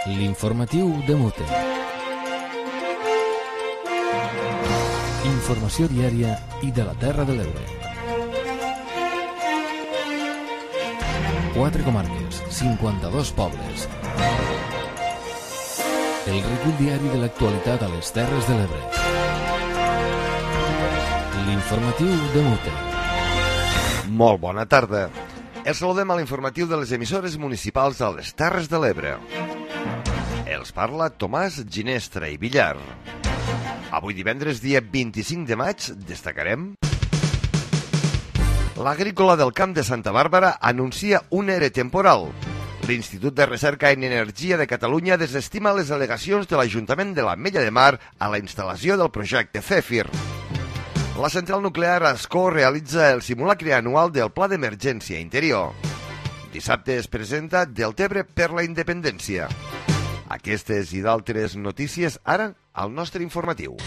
L'informatiu de Mute. Informació diària i de la Terra de l'Ebre. 4 comarques, 52 pobles. El recull diari de l'actualitat a les Terres de l'Ebre. L'informatiu de Mute. Molt bona tarda. Els saludem a l'informatiu de les emissores municipals a les Terres de l'Ebre. Els parla Tomàs Ginestra i Villar. Avui divendres, dia 25 de maig, destacarem: l'Agrícola del Camp de Santa Bàrbara anuncia un ERE temporal. L'Institut de Recerca en Energia de Catalunya desestima les al·legacions de l'Ajuntament de l'Ametlla de Mar a la instal·lació del projecte Zèfir. La central nuclear Ascó realitza el simulacre anual del Pla d'Emergència Interior. Dissabte es presenta Deltebre per la Independència. Aquestes i d'altres notícies ara al nostre informatiu.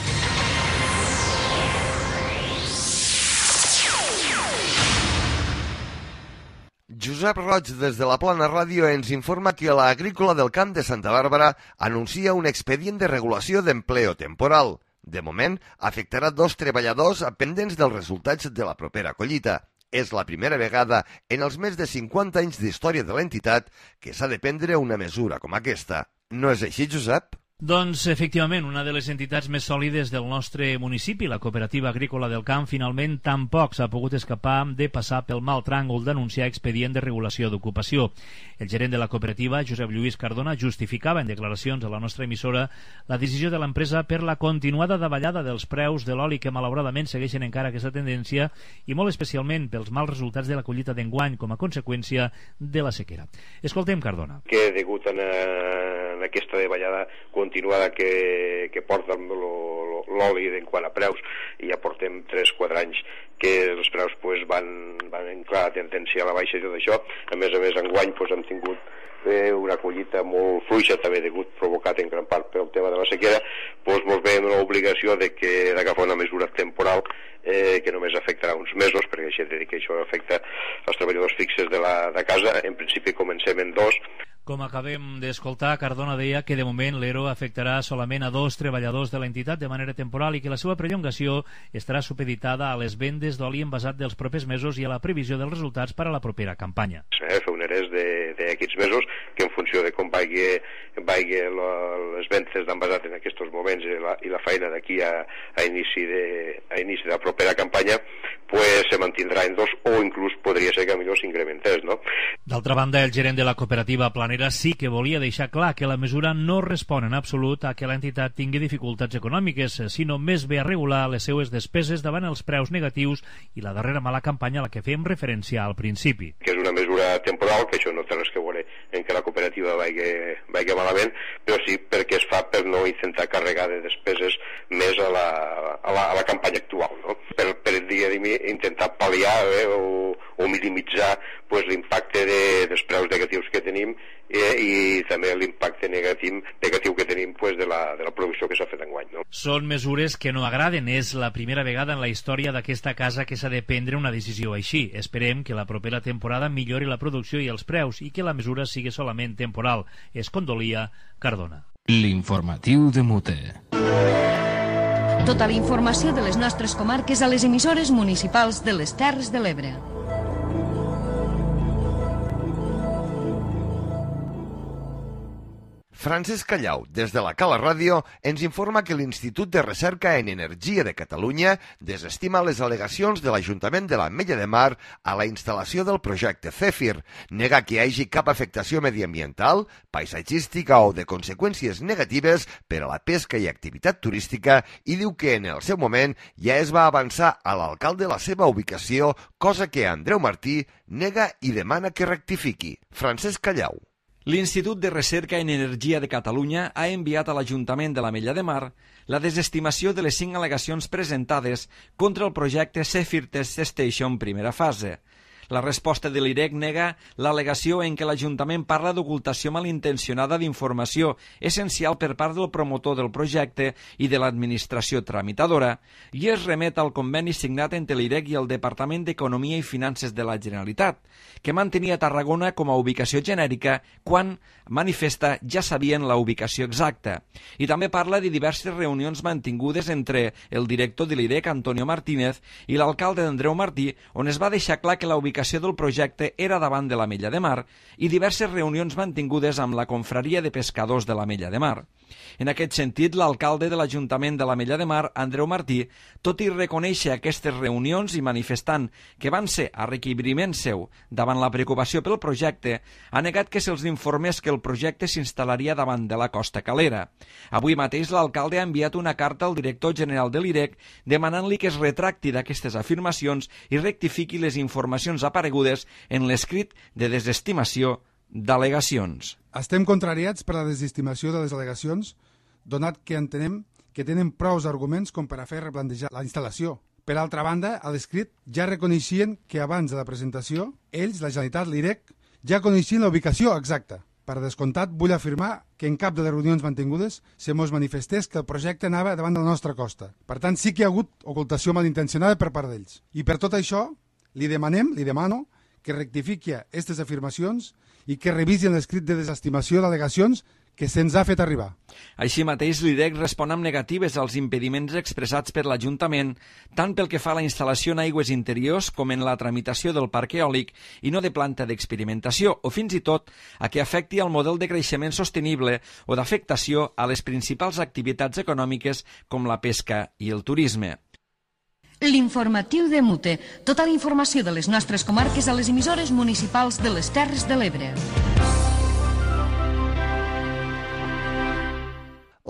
Josep Roig, des de la Plana Ràdio, ens informa que l'Agrícola del Camp de Santa Bàrbara anuncia un expedient de regulació d'empleo temporal. De moment, afectarà 2 treballadors pendents dels resultats de la propera collita. És la primera vegada en els més de 50 anys d'història de l'entitat que s'ha de prendre una mesura com aquesta. No és així, Josep? Doncs, efectivament, una de les entitats més sòlides del nostre municipi, la Cooperativa Agrícola del Camp, finalment tampoc s'ha pogut escapar de passar pel mal tràngol d'anunciar expedient de regulació d'ocupació. El gerent de la cooperativa, Josep Lluís Cardona, justificava en declaracions a la nostra emissora la decisió de l'empresa per la continuada davallada dels preus de l'oli que malauradament segueixen encara aquesta tendència i molt especialment pels mals resultats de la collita d'enguany com a conseqüència de la sequera. Escoltem Cardona. Que degut a aquesta davallada continuada que porta l'oli en quant a preus, i ja portem 3-4 anys que els preus van en clara tendència a la baixa i tot això. A més, enguany hem tingut una collita molt fluixa, també provocat en gran part pel tema de la sequera. Ens veiem l'obligació d'agafar una mesura temporal que només afectarà uns mesos, perquè així he de dir que això afecta els treballadors fixes de casa. En principi comencem en 2. Com acabem d'escoltar, Cardona deia que de moment l'ERO afectarà solament a 2 treballadors de l'entitat de manera temporal i que la seva prolongació estarà supeditada a les vendes d'oli envasat dels propers mesos i a la previsió dels resultats per a la propera campanya. Fer un ERES d'aquests mesos, que en funció de com vagi les vendes d'envasat en aquests moments i la feina d'aquí a inici de la propera campanya, se mantindrà en 2 o inclús podria ser que millor s'incrementés, no? D'altra banda, el gerent de la cooperativa Planera sí que volia deixar clar que la mesura no respon en absolut a que l'entitat tingui dificultats econòmiques, sinó més bé a regular les seues despeses davant els preus negatius i la darrera mala campanya a la que fèiem referència al principi. Que és una mesura temporal, que això no té res que veure en que la cooperativa vagi malament, però sí perquè es fa per no intentar carregar de despeses més a la campanya actual, no? Per intentar pal·liar o minimitzar l'impacte dels preus negatius que tenim i també l'impacte negatiu que tenim de la producció que s'ha fet enguany, no? Són mesures que no agraden. És la primera vegada en la història d'aquesta casa que s'ha de prendre una decisió així. Esperem que la propera temporada millori la producció i els preus i que la mesura sigui solament temporal. Es condolia Cardona. L'informatiu de Mute. Tota la informació de les nostres comarques a les emissores municipals de les Terres de l'Ebre. Francesc Callau, des de la Cala Ràdio, ens informa que l'Institut de Recerca en Energia de Catalunya desestima les al·legacions de l'Ajuntament de l'Ametlla de Mar a la instal·lació del projecte Zèfir, nega que hi hagi cap afectació mediambiental, paisatgística o de conseqüències negatives per a la pesca i activitat turística i diu que en el seu moment ja es va avançar a l'alcalde la seva ubicació, cosa que Andreu Martí nega i demana que rectifiqui. Francesc Callau. L'Institut de Recerca en Energia de Catalunya ha enviat a l'Ajuntament de l'Ametlla de Mar la desestimació de les 5 al·legacions presentades contra el projecte Zèfir Test Station primera fase. La resposta de l'IREC nega l'al·legació en què l'Ajuntament parla d'ocultació malintencionada d'informació essencial per part del promotor del projecte i de l'administració tramitadora i es remet al conveni signat entre l'IREC i el Departament d'Economia i Finances de la Generalitat, que mantenia Tarragona com a ubicació genèrica quan, manifesta, ja sabien la ubicació exacta. I també parla de diverses reunions mantingudes entre el director de l'IREC, Antonio Martínez, i l'alcalde d'Andreu Martí, on es va deixar clar que la ubicació del projecte era davant de l'Ametlla de Mar, i diverses reunions mantingudes amb la confraria de pescadors de l'Ametlla de Mar. En aquest sentit, l'alcalde de l'Ajuntament de l'Ametlla de Mar, Andreu Martí, tot i reconèixer aquestes reunions i manifestant que van ser a requeriment seu davant la preocupació pel projecte, ha negat que se'ls informés que el projecte s'instal·laria davant de la Costa Calera. Avui mateix l'alcalde ha enviat una carta al director general de l'IREC demanant-li que es retracti d'aquestes afirmacions i rectifiqui les informacions aparegudes en l'escrit de desestimació d'al·legacions. Estem contrariats per la desestimació de les al·legacions, donat que entenem que tenen prous arguments com per a fer replantejar la instal·lació. Per altra banda, a l'escrit ja reconeixien que abans de la presentació, ells, la Generalitat, l'IREC, ja coneixien la ubicació exacta. Per descomptat, vull afirmar que en cap de les reunions mantingudes se mos manifestés que el projecte anava davant de la nostra costa. Per tant, sí que hi ha hagut ocultació malintencionada per part d'ells. I per tot això, li demano que rectifiqui aquestes afirmacions i que revisin l'escrit de desestimació d'al·legacions que se'ns ha fet arribar. Així mateix, l'IREC respon amb negatives als impediments expressats per l'Ajuntament, tant pel que fa a la instal·lació en aigües interiors com en la tramitació del parc eòlic i no de planta d'experimentació, o fins i tot a que afecti al model de creixement sostenible o d'afectació a les principals activitats econòmiques com la pesca i el turisme. L'informatiu de Mute. Tota la informació de les nostres comarques a les emissores municipals de les Terres de l'Ebre.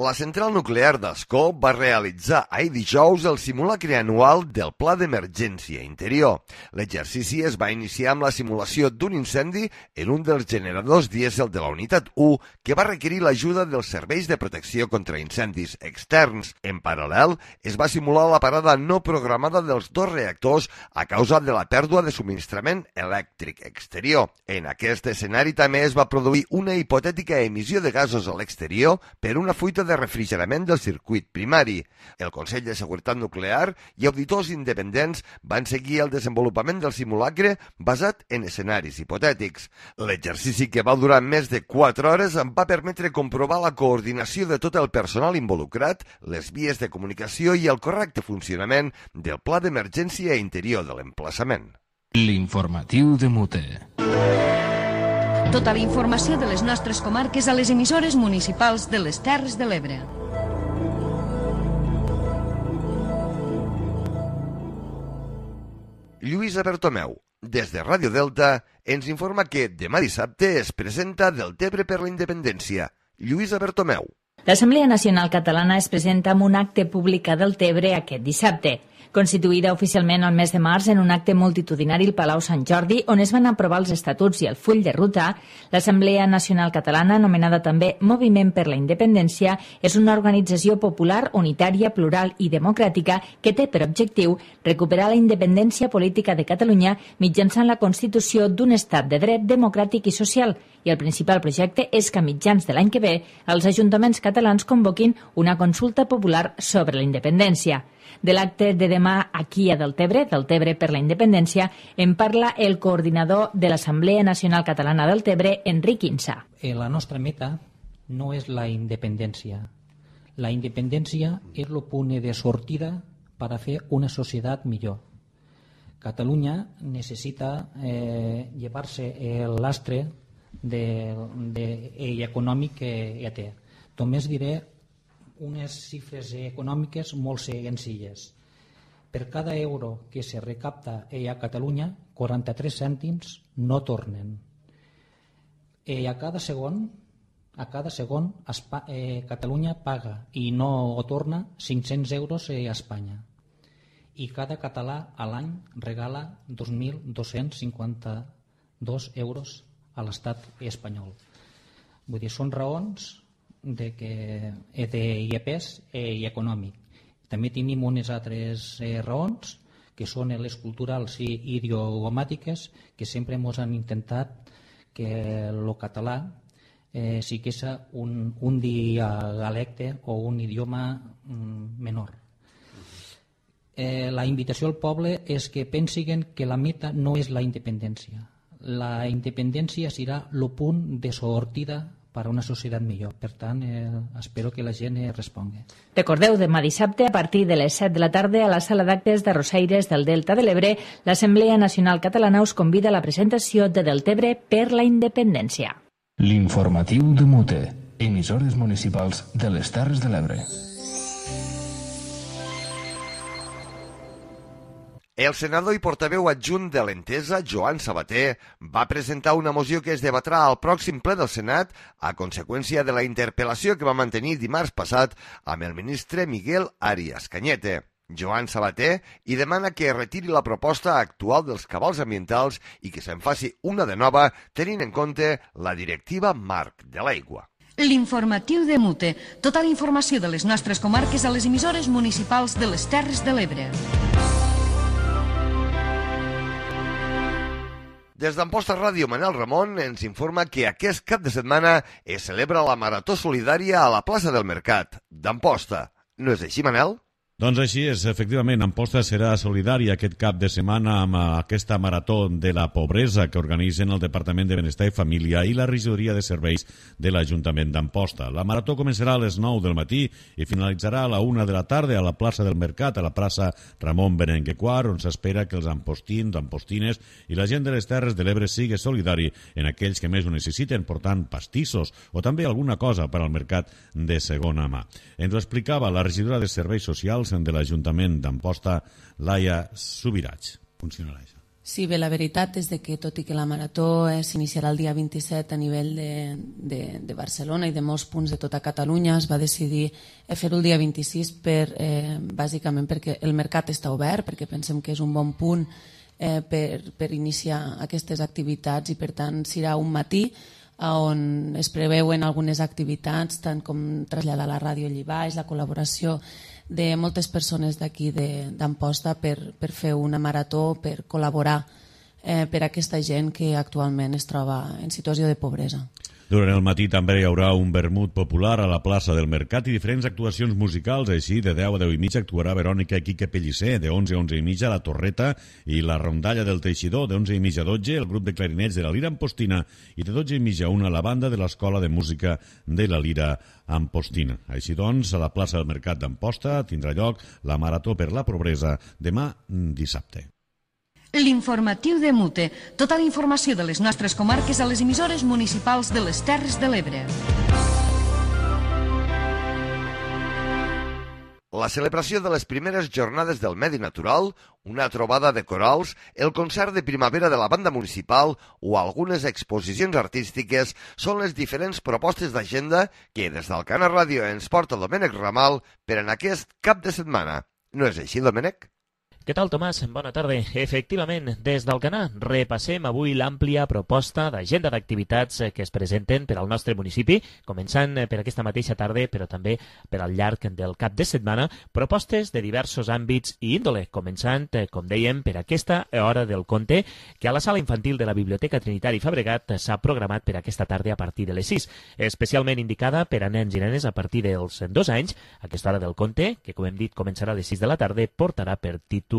La central nuclear d'Ascó va realitzar ahir dijous el simulacre anual del Pla d'Emergència Interior. L'exercici es va iniciar amb la simulació d'un incendi en un dels generadors dièsel de la unitat 1 que va requerir l'ajuda dels serveis de protecció contra incendis externs. En paral·lel, es va simular la parada no programada dels dos reactors a causa de la pèrdua de subministrament elèctric exterior. En aquest escenari també es va produir una hipotètica emissió de gasos a l'exterior per una fuita de refrigerament del circuit primari. El Consell de Seguretat Nuclear i auditors independents van seguir el desenvolupament del simulacre basat en escenaris hipotètics. L'exercici, que va durar més de 4 hores, em va permetre comprovar la coordinació de tot el personal involucrat, les vies de comunicació i el correcte funcionament del pla d'emergència interior de l'emplaçament. L'informatiu de Mute. Tota la informació de les nostres comarques a les emissores municipals de les Terres de l'Ebre. Lluïsa Bertomeu, des de Ràdio Delta, ens informa que demà dissabte es presenta Deltebre per la Independència. Lluïsa Bertomeu. L'Assemblea Nacional Catalana es presenta amb un acte públic a Deltebre aquest dissabte. Constituïda oficialment el mes de març en un acte multitudinari al Palau Sant Jordi, on es van aprovar els estatuts i el full de ruta, l'Assemblea Nacional Catalana, anomenada també Moviment per la Independència, és una organització popular, unitària, plural i democràtica que té per objectiu recuperar la independència política de Catalunya mitjançant la constitució d'un estat de dret democràtic i social, i el principal projecte és que a mitjans de l'any que ve els ajuntaments catalans convoquin una consulta popular sobre la independència. De l'acte de demà aquí a Deltebre, Deltebre per la Independència, en parla el coordinador de l'Assemblea Nacional Catalana Deltebre, Enric Insa. La nostra meta no és la independència. La independència és el punt de sortida per a fer una societat millor. Catalunya necessita llevar-se el lastre econòmic que ja té. Només diré unes xifres econòmiques molt senzilles. Per cada euro que se recapta a Catalunya, 43 cèntims no tornen. A cada segon Catalunya paga i no ho torna 500 euros a Espanya. I cada català a l'any regala 2.252 euros a l'estat espanyol. Vull dir, són raons d'IPs i econòmic. També tenim unes altres raons, que són les culturals i idiomàtiques, que sempre ens han intentat que el català sigués un dialecte o un idioma menor. La invitació al poble és que pensin que la meta no és la independència. La independència serà el punt de sortida per a una societat millor. Per tant, espero que la gent respongui. Recordeu, demà dissabte, a partir de les 7 de la tarda, a la sala d'actes de Rosaires del Delta de l'Ebre, l'Assemblea Nacional Catalana us convida a la presentació de Deltebre per la Independència. L'informatiu de Mute, emissores municipals de les Terres de l'Ebre. El senador i portaveu adjunt de l'Entesa, Joan Sabater, va presentar una moció que es debatrà al pròxim ple del Senat a conseqüència de la interpel·lació que va mantenir dimarts passat amb el ministre Miguel Arias Cañete. Joan Sabater hi demana que retiri la proposta actual dels cabals ambientals i que se'n faci una de nova tenint en compte la directiva marc de l'aigua. L'informatiu de Mute. Tota la informació de les nostres comarques a les emissores municipals de les Terres de l'Ebre. Des d'Amposta Ràdio, Manel Ramon ens informa que aquest cap de setmana es celebra la Marató Solidària a la plaça del Mercat d'Amposta. No és així, Manel? Doncs així és, efectivament, Amposta serà solidària aquest cap de setmana amb aquesta marató de la pobresa que organitzen el Departament de Benestar i Família i la Regidoria de Serveis de l'Ajuntament d'Amposta. La marató començarà a les 9 del matí i finalitzarà a la 1 de la tarda a la plaça del Mercat, a la plaça Ramon Berenguer IV, on s'espera que els ampostins, ampostines i la gent de les Terres de l'Ebre sigui solidari en aquells que més ho necessiten, portant pastissos o també alguna cosa per al mercat de segona mà. Ens ho explicava la regidora de Serveis Socials de l'Ajuntament d'Amposta, Laia Subirats. Funcionarà això. Sí, bé, la veritat és que tot i que la marató s'iniciarà el dia 27 a nivell de Barcelona i de molts punts de tota Catalunya, es va decidir fer-ho el dia 26 bàsicament perquè el mercat està obert, perquè pensem que és un bon punt per iniciar aquestes activitats i per tant serà un matí on es preveuen algunes activitats, tant com traslladar la ràdio allà baix, la col·laboració de moltes persones d'aquí d'Amposta per fer una marató, per col·laborar per a aquesta gent que actualment es troba en situació de pobresa. Durant el matí també hi haurà un vermut popular a la plaça del Mercat i diferents actuacions musicals. Així, de 10 a 10 i mitja actuarà Verònica i Quique Pellicer, de 11 a 11 i mitja la Torreta i la Rondalla del Teixidor, de 11 i mitja a 12 el grup de clarinets de la Lira Ampostina i de 12 i mitja a 1 la banda de l'Escola de Música de la Lira Ampostina. Així doncs, a la plaça del Mercat d'Amposta tindrà lloc la Marató per la Pobresa demà dissabte. L'informatiu de Mute. Tota la informació de les nostres comarques a les emissores municipals de les Terres de l'Ebre. La celebració de les primeres jornades del medi natural, una trobada de corals, el concert de primavera de la banda municipal o algunes exposicions artístiques són les diferents propostes d'agenda que des d'Alcana Ràdio ens porta Domènec Ramal per en aquest cap de setmana. No és així, Domènec? Què tal, Tomàs? Bona tarda. Efectivament, des d'Alcanar repassem avui l'àmplia proposta d'agenda d'activitats que es presenten per al nostre municipi, començant per aquesta mateixa tarda, però també per al llarg del cap de setmana, propostes de diversos àmbits i índole, començant, com dèiem, per aquesta hora del conte, que a la sala infantil de la Biblioteca Trinitari Fabregat s'ha programat per aquesta tarda a partir de les 6, especialment indicada per a nens i nenes a partir dels 2 anys. Aquesta hora del conte, que com hem dit començarà a les 6 de la tarda, portarà per títol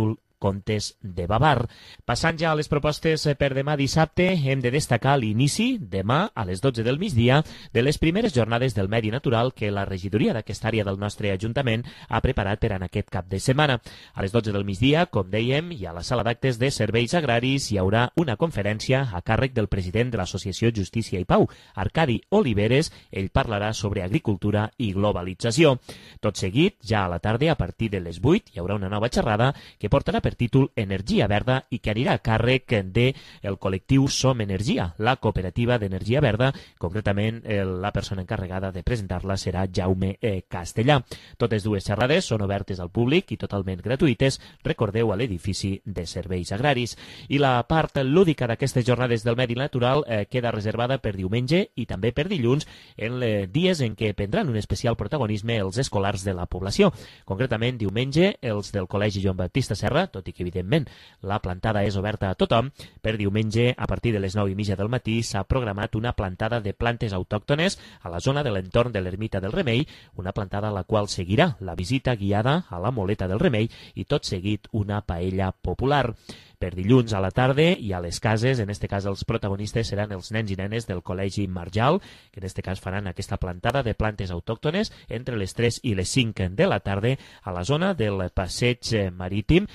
Contes de Bavar. Passant ja a les propostes per demà dissabte, hem de destacar l'inici, demà a les 12 del migdia, de les primeres jornades del medi natural que la regidoria d'aquesta àrea del nostre Ajuntament ha preparat per en aquest cap de setmana. A les 12 del migdia, com dèiem, i a la sala d'actes de serveis agraris hi haurà una conferència a càrrec del president de l'Associació Justícia i Pau, Arcadi Oliveres. Ell parlarà sobre agricultura i globalització. Tot seguit, ja a la tarda, a partir de les 8, hi haurà una nova xerrada que portarà per títol Energia Verda i que anirà a càrrec del col·lectiu Som Energia, la cooperativa d'energia verda. Concretament, la persona encarregada de presentar-la serà Jaume Castellà. Totes dues xerrades són obertes al públic i totalment gratuïtes, recordeu, a l'edifici de serveis agraris. I la part lúdica d'aquestes jornades del medi natural queda reservada per diumenge i també per dilluns, en dies en què prendran un especial protagonisme els escolars de la població. Concretament, diumenge, els del Col·legi Joan Baptista Serra, tots tot i que, evidentment, la plantada és oberta a tothom. Per diumenge, a partir de les 9:30 del matí, s'ha programat una plantada de plantes autòctones a la zona de l'entorn de l'Ermita del Remei, una plantada a la qual seguirà la visita guiada a la Moleta del Remei i tot seguit una paella popular. Per dilluns a la tarda i a les cases, en este cas els protagonistes seran els nens i nenes del Col·legi Marjal, que en este cas faran aquesta plantada de plantes autòctones entre les 3 i les 5 de la tarda a la zona del passeig marítim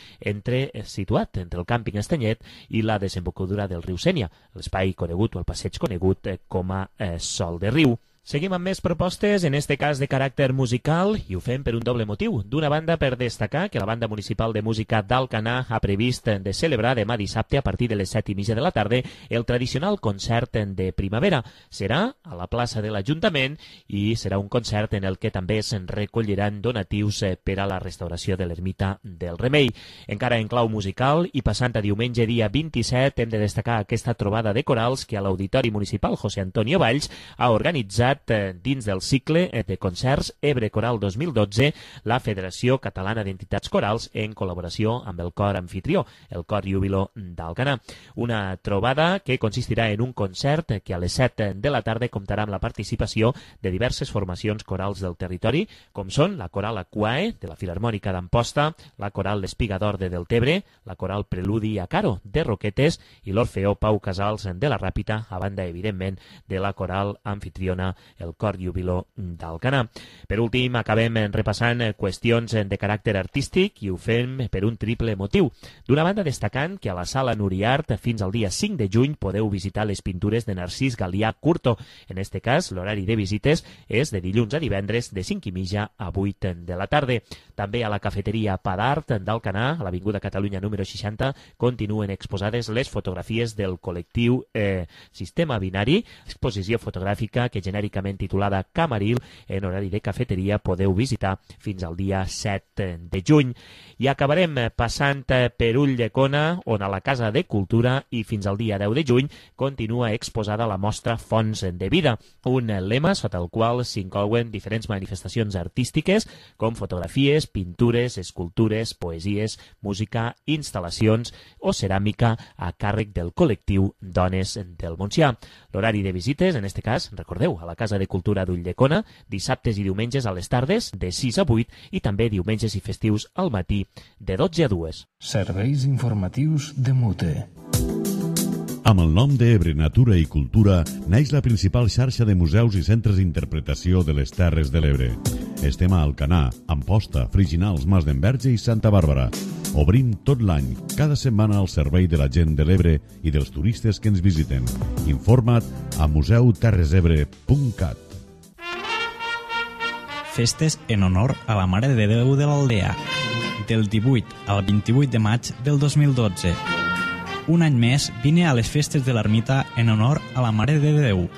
situat entre el càmping Estanyet i la desembocadura del riu Sénia, l'espai conegut o el passeig conegut com a Sol de Riu. Seguim amb més propostes, en este cas de caràcter musical, i ho fem per un doble motiu. D'una banda, per destacar que la Banda Municipal de Música d'Alcanar ha previst de celebrar demà dissabte a partir de les 7:30 de la tarda el tradicional concert de primavera. Serà a la plaça de l'Ajuntament i serà un concert en el que també se'n recolliran donatius per a la restauració de l'Ermita del Remei. Encara en clau musical i passant a diumenge dia 27 hem de destacar aquesta trobada de corals que a l'Auditori Municipal José Antonio Valls ha organitzat dins del cicle de concerts Ebre Coral 2012, la Federació Catalana d'Entitats Corals en col·laboració amb el cor anfitrió, el Cor Júbilo d'Alcanar. Una trobada que consistirà en un concert que a les 7 de la tarda comptarà amb la participació de diverses formacions corals del territori, com són la Coral Aquae de la Filharmònica d'Amposta, la Coral L'Espigador de Deltebre, la Coral Preludi a Caro de Roquetes i l'Orfeó Pau Casals de la Ràpita, a banda, evidentment, de la coral anfitriona el Cor Júbilo d'Alcanar. Per últim, acabem repassant qüestions de caràcter artístic i ho fem per un triple motiu. D'una banda, destacant que a la Sala Nuriart fins al dia 5 de juny podeu visitar les pintures de Narcís Galià Curto. En este cas, l'horari de visites és de dilluns a divendres de 5:30 a 8 de la tarda. També a la cafeteria Padart d'Alcanar, a l'Avinguda Catalunya número 60, continuen exposades les fotografies del col·lectiu Sistema Binari, exposició fotogràfica que genèricament titulada Camaril, en horari de cafeteria podeu visitar fins al dia 7 de juny. I acabarem passant per Ulldecona, on a la Casa de Cultura i fins al dia 10 de juny continua exposada la mostra Fonts de Vida, un lema sota el qual s'inclouen diferents manifestacions artístiques com fotografies, pintures, escultures, poesies, música, instal·lacions o ceràmica a càrrec del col·lectiu Dones del Montsià. L'horari de visites, en este cas, recordeu, a la Casa de Cultura d'Ulldecona, dissabtes i diumenges a les tardes de 6 a 8 i també diumenges i festius al matí de 12 a 2. Serveis informatius de Mute. Amb el nom d'Ebre Natura i Cultura naix la principal xarxa de museus i centres d'interpretació de les Terres de l'Ebre. Estem a Alcanar, Amposta, Friginals, Mas d'Enverge i Santa Bàrbara. Obrim tot l'any, cada setmana al servei de la gent de l'Ebre i dels turistes que ens visiten. Informa't a museuterresebre.cat. Festes en honor a la Mare de Déu de l'Aldea, del 18 al 28 de maig del 2012. Un any més vine a les festes de l'ermita en honor a la Mare de Déu.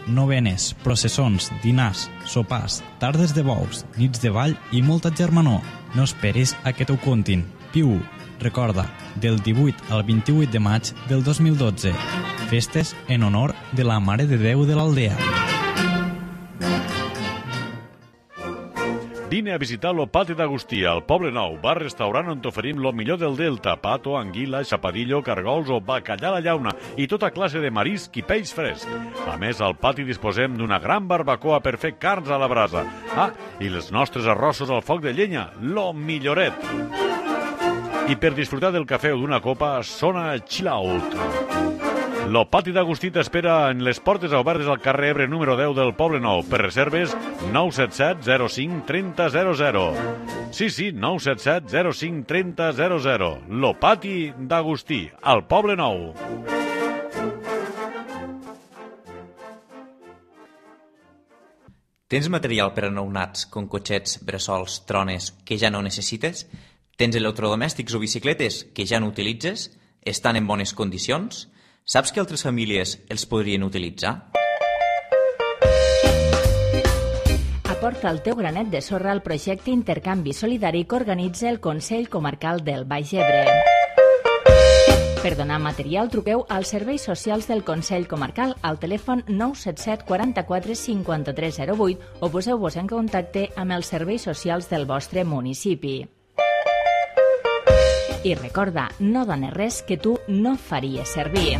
Novenes, processons, dinars, sopars, tardes de bous, nits de ball i molta germanor. No esperis a que t'ho contin. Viu-ho. Recorda, del 18 al 28 de maig del 2012. Festes en honor de la Mare de Déu de l'Aldea. Vine a visitar lo Pati d'Agustí, al Poble Nou, bar-restaurant on t'oferim lo millor del Delta, pato, anguila, xapadillo, cargols o bacallà a la llauna i tota classe de marisc i peix fresc. A més, al pati disposem d'una gran barbacoa per fer carns a la brasa. Ah, i els nostres arrossos al foc de llenya, lo milloret. I per disfrutar del cafè o d'una copa, sona Chill Out. Lo Pati d'Agustí t'espera en les portes obertes al carrer Ebre número 10 del Poble Nou. Per reserves, 977 05 30 00. Sí, 977 05 30 00. Lo Pati d'Agustí, al Poble Nou. Tens material per a nounats, com cotxets, bressols, trones, que ja no necessites? Tens electrodomèstics o bicicletes que ja no utilitzes? Estan en bones condicions? Saps que altres famílies els podrien utilitzar? Aporta el teu granet de sorra al projecte Intercanvi Solidari que organitza el Consell Comarcal del Baix Ebre. Per donar material, truqueu als serveis socials del Consell Comarcal al telèfon 977 44 53 08 o poseu-vos en contacte amb els serveis socials del vostre municipi. I recorda, no dones res que tu no faries servir.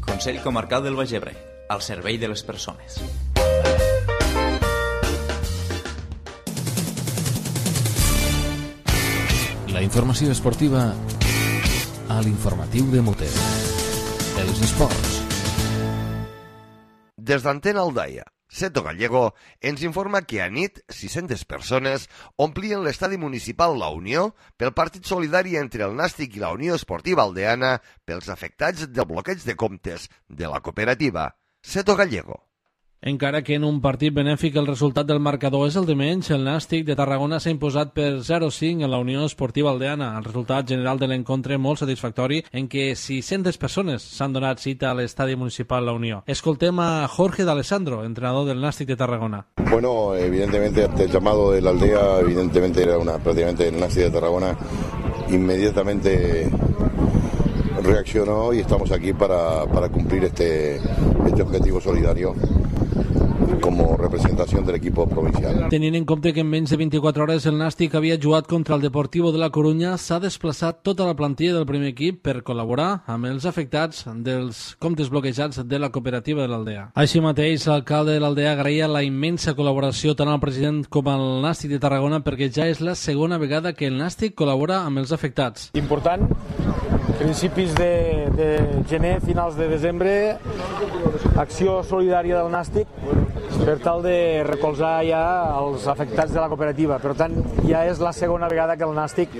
Consell Comarcal del Baix Ebre, al servei de les persones. La informació esportiva a l'informatiu de Mute. Els esports. Des d'Antena Aldaia, Seto Gallego ens informa que a nit 600 persones omplien l'estadi municipal La Unió pel partit solidari entre el Nàstic i la Unió Esportiva Aldeana pels afectats del bloqueig de comptes de la cooperativa. Seto Gallego. Encara que en un partit benèfic el resultat del marcador és el de menys, el Nàstic de Tarragona s'ha imposat per 0-5 en la Unió Esportiva Aldeana. El resultat general de l'encontre molt satisfactori en què 600 persones s'han donat cita a l'estadi municipal La Unió. Escoltem a Jorge D'Alessandro, entrenador del Nàstic de Tarragona. Bueno, evidentemente ante el llamado de la aldea, evidentemente era prácticamente el Nàstic de Tarragona, inmediatamente reaccionó y estamos aquí para cumplir este objetivo solidario como representación del equipo provincial. Tenint en compte que en menys de 24 hores el Nàstic havia jugat contra el Deportivo de la Corunya, s'ha desplaçat tota la plantilla del primer equip per col·laborar amb els afectats dels comptes bloquejats de la cooperativa de l'Aldea. Així mateix, l'alcalde de l'Aldea agraïa la immensa col·laboració tant al president com al Nàstic de Tarragona perquè ja és la segona vegada que el Nàstic col·labora amb els afectats. Important, principis de gener, finals de desembre, acció solidària del Nàstic per tal de recolzar ja els afectats de la cooperativa. Per tant, ja és la segona vegada que el Nàstic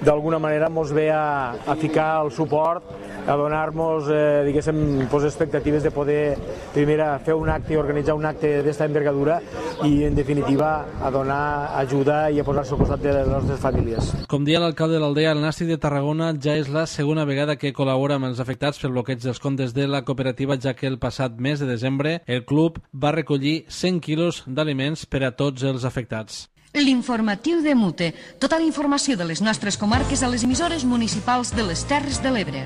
d'alguna manera ens ve a ficar el suport, a donar-nos, diguéssim, expectatives de poder, primera, fer un acte i organitzar un acte d'esta envergadura i, en definitiva, a donar ajuda i a posar-se al costat de les nostres famílies. Com dia l'alcalde de l'Aldea, el Nàstic de Tarragona ja és la segona vegada que col·labora amb els afectats pel bloqueig dels comptes de la cooperativa, ja que el passat mes de desembre el club va recollir 100 quilos d'aliments per a tots els afectats. L'informatiu de Mute. Tota la informació de les nostres comarques a les emissores municipals de les Terres de l'Ebre.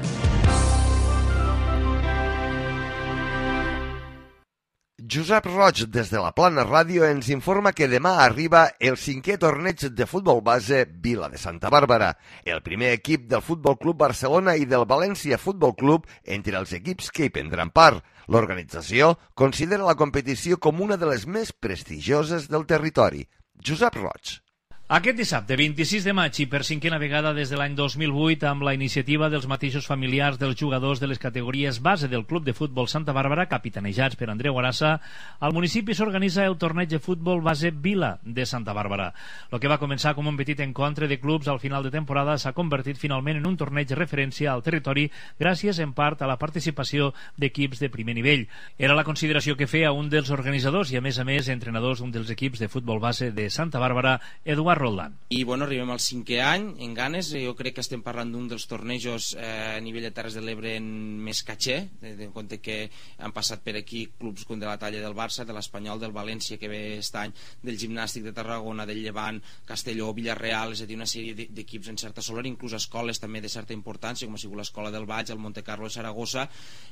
Josep Roig, des de la Plana Ràdio, ens informa que demà arriba el 5è torneig de futbol base Vila de Santa Bàrbara, el primer equip del Futbol Club Barcelona i del València Futbol Club entre els equips que hi prendran part. L'organització considera la competició com una de les més prestigioses del territori. Josep Roig. Aquest dissabte, 26 de maig, i per cinquena vegada des de l'any 2008, amb la iniciativa dels mateixos familiars dels jugadors de les categories base del Club de Futbol Santa Bàrbara, capitanejats per Andreu Arassa, al municipi s'organitza el torneig de futbol base Vila de Santa Bàrbara. El que va començar com un petit encontre de clubs al final de temporada s'ha convertit finalment en un torneig de referència al territori gràcies en part a la participació d'equips de primer nivell. Era la consideració que feia un dels organitzadors i a més entrenadors d'un dels equips de futbol base de Santa Bàrbara, Eduard Roldán. I bueno, arribem al 5è any en ganes. Jo crec que estem parlant d'un dels tornejos a nivell de Terres de l'Ebre en més caché, en compte que han passat per aquí clubs com de la talla del Barça, de l'Espanyol, del València que ve aquest any, del Gimnàstic de Tarragona, del Llevant, Castelló, Villarreal, és a dir, una sèrie d'equips en certa solera, inclús escoles també de certa importància, com ha sigut l'Escola del Baix, el Monte Carlo de Saragossa,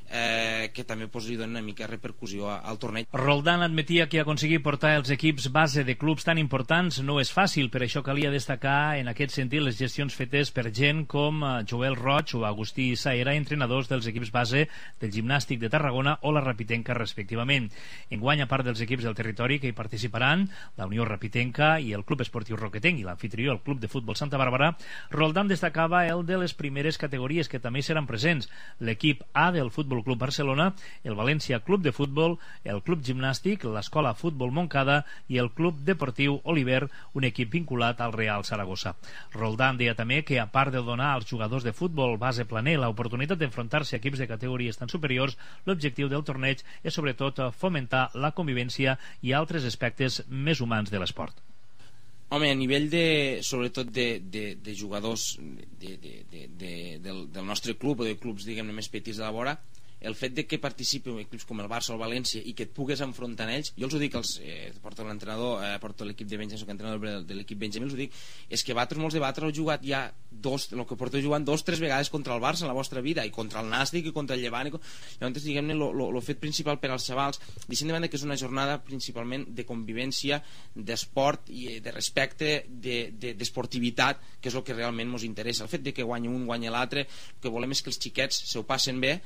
que també li donen una mica repercussió al torneig. Roldán admetia que aconseguir portar els equips base de clubs tan importants no és fàcil. Per això calia destacar en aquest sentit les gestions fetes per gent com Joel Roig o Agustí Saera, entrenadors dels equips base del Gimnàstic de Tarragona o la Rapitenca respectivament. Enguany, a part dels equips del territori que hi participaran, la Unió Rapitenca i el Club Esportiu Roquetenc i l'anfitrió, el Club de Futbol Santa Bàrbara, Roldán destacava el de les primeres categories que també seran presents: l'equip A del Futbol Club Barcelona, el València Club de Futbol, el Club Gimnàstic, l'Escola Futbol Montcada i el Club Deportiu Oliver, un equip vinculat al Real Saragossa. Roldán deia també que, a part de donar als jugadors de futbol base planer l'oportunitat d'enfrontar-se a equips de categories tan superiors, l'objectiu del torneig és sobretot fomentar la convivència i altres aspectes més humans de l'esport. Home, a nivell sobretot de jugadors del nostre club o de clubs, diguem-ne, més petits de la vora, el fet de que participin equips com el Barça o el València i que et pugues enfrontar en ells, jo els ho dic, porto l'entrenador, porto l'equip de Benjamí, soc entrenador de l'equip Benjamí, els ho dic, és que molts de vosaltres heu jugat ja el que porteu jugant 2 o 3 vegades contra el Barça en la vostra vida, i contra el Nàstic i contra el Llevant, llavors diguem-ne el fet principal per als xavals, deixem de banda que és una jornada principalment de convivència, d'esport i de respecte, d'esportivitat, que és el que realment ens interessa. El fet de que guanyi un, guanyi l'altre, el que volem és que els xiquets se ho passen bé,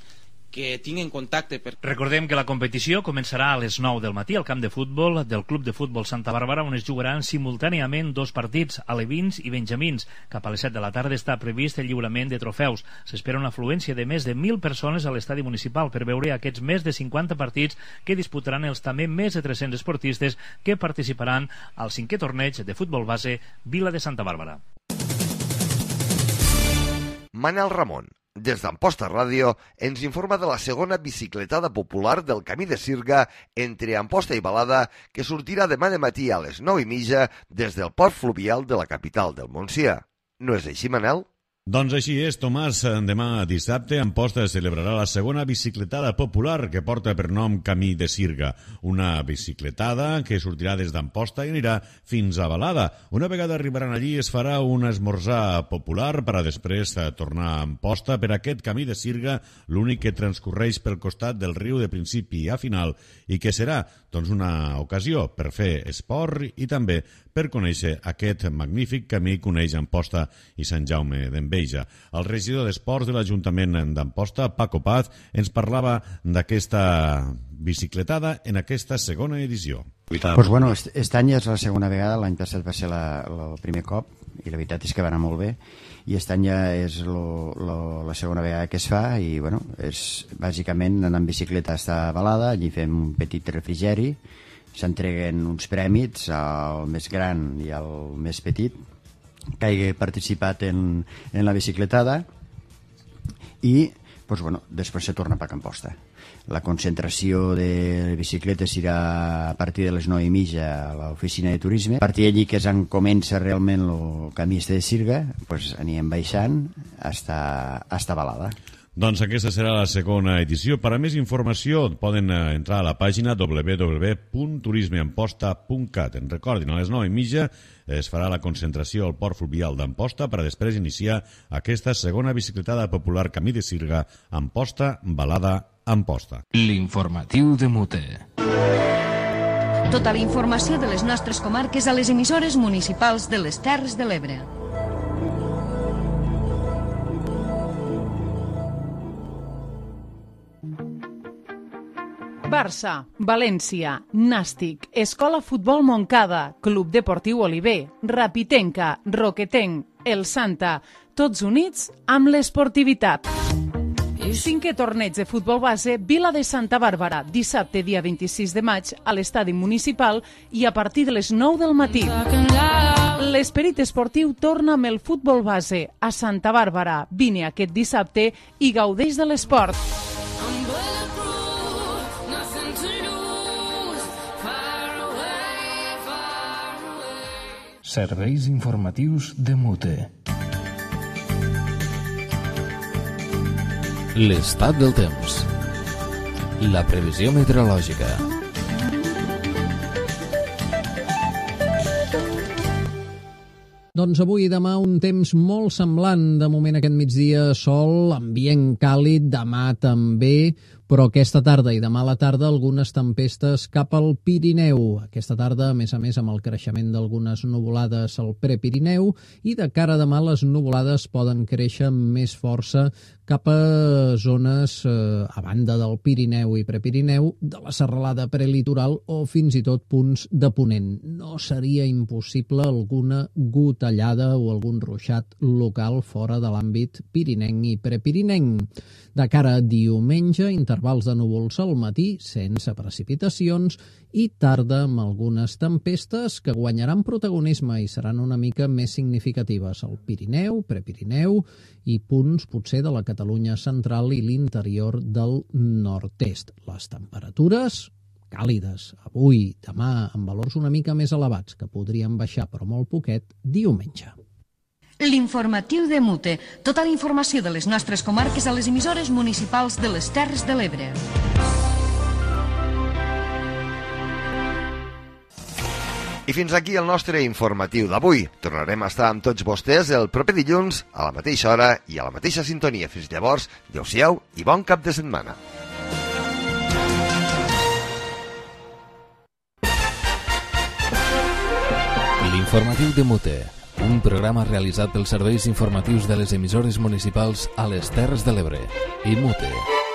que tinguin contacte. Recordem que la competició començarà a les 9 del matí al camp de futbol del Club de Futbol Santa Bàrbara, on es jugaran simultàniament 2 partits, alevins i benjamins. Cap a les 7 de la tarda està previst el lliurament de trofeus. S'espera una afluència de més de 1.000 persones a l'estadi municipal per veure aquests més de 50 partits que disputaran els també més de 300 esportistes que participaran al 5è torneig de futbol base Vila de Santa Bàrbara. Manel Ramon, des d'Amposta Ràdio, ens informa de la segona bicicletada popular del Camí de Sirga entre Amposta i Balada, que sortirà demà de matí a les 9:30 des del port fluvial de la capital del Montsià. No és així, Manel? Doncs així és, Tomàs. Demà dissabte Amposta celebrarà la segona bicicletada popular que porta per nom Camí de Sirga. Una bicicletada que sortirà des d'Amposta i anirà fins a Balada. Una vegada arribaran allí es farà un esmorzar popular per a després tornar a Amposta per aquest Camí de Sirga, l'únic que transcorreix pel costat del riu de principi a final i que serà doncs, una ocasió per fer esport i també per conèixer aquest magnífic camí que uneix Amposta i Sant Jaume d'Enveja. El regidor d'Esports de l'Ajuntament d'Amposta, Paco Paz, ens parlava d'aquesta bicicletada en aquesta segona edició. Pues bueno, aquest any és la segona vegada, l'any passat va ser el primer cop i la veritat és que va anar molt bé i aquest any ja és la segona vegada que es fa i bueno, és bàsicament anar en bicicleta a Balada, allí fem un petit refrigeri, s'entreguen uns prèmits al més gran i al més petit que hagi participat en la bicicletada i pues bueno, després se torna per Amposta. La concentració de bicicletes serà a partir de les 9:30 a l'oficina de turisme. A partir d'allí que és on comença realment el camí de Sirga, pues anirem baixant hasta Balada. Doncs aquesta serà la segona edició. Per a més informació poden entrar a la pàgina www.turismeamposta.cat. En recordin, a les 9:30 es farà la concentració al port fluvial d'Amposta per a després iniciar aquesta segona bicicletada popular Camí de Sirga, Amposta, Balada, Amposta. L'informatiu de Mute. Tota la informació de les nostres comarques a les emissores municipals de les Terres de l'Ebre. Barça, València, Nàstic, Escola Futbol Montcada, Club Deportiu Oliver, Rapitenca, Roquetenc, El Santa, tots units amb l'esportivitat. 5è torneig de futbol base Vila de Santa Bàrbara, dissabte dia 26 de maig a l'estadi municipal i a partir de les 9 del matí. L'esperit esportiu torna amb el futbol base a Santa Bàrbara. Vine aquest dissabte i gaudeix de l'esport. Serveis informatius de Mute. L'estat del temps. La previsió meteorològica. Doncs avui i demà un temps molt semblant. De moment aquest migdia sol, ambient càlid, demà també, però aquesta tarda i demà a la tarda algunes tempestes cap al Pirineu. Aquesta tarda, a més, amb el creixement d'algunes nuvolades al Prepirineu i de cara a demà les nuvolades poden créixer amb més força cap a zones a banda del Pirineu i Prepirineu, de la serralada prelitoral o fins i tot punts de ponent. No seria impossible alguna gotellada o algun ruixat local fora de l'àmbit pirinenc i prepirinenc. De cara a diumenge, intervals de núvols al matí, sense precipitacions, i tarda amb algunes tempestes que guanyaran protagonisme i seran una mica més significatives al Pirineu, Prepirineu i punts potser de la Catalunya central i l'interior del nord-est. Les temperatures càlides avui, demà, amb valors una mica més elevats, que podrien baixar però molt poquet diumenge. L'informatiu de Mute. Tota la informació de les nostres comarques a les emissores municipals de les Terres de l'Ebre. I fins aquí el nostre informatiu d'avui. Tornarem a estar amb tots vostès el proper dilluns, a la mateixa hora i a la mateixa sintonia. Fins llavors, adeu-siau i bon cap de setmana. L'informatiu de Mute, un programa realitzat pels serveis informatius de les emissores municipals a les Terres de l'Ebre i Mute.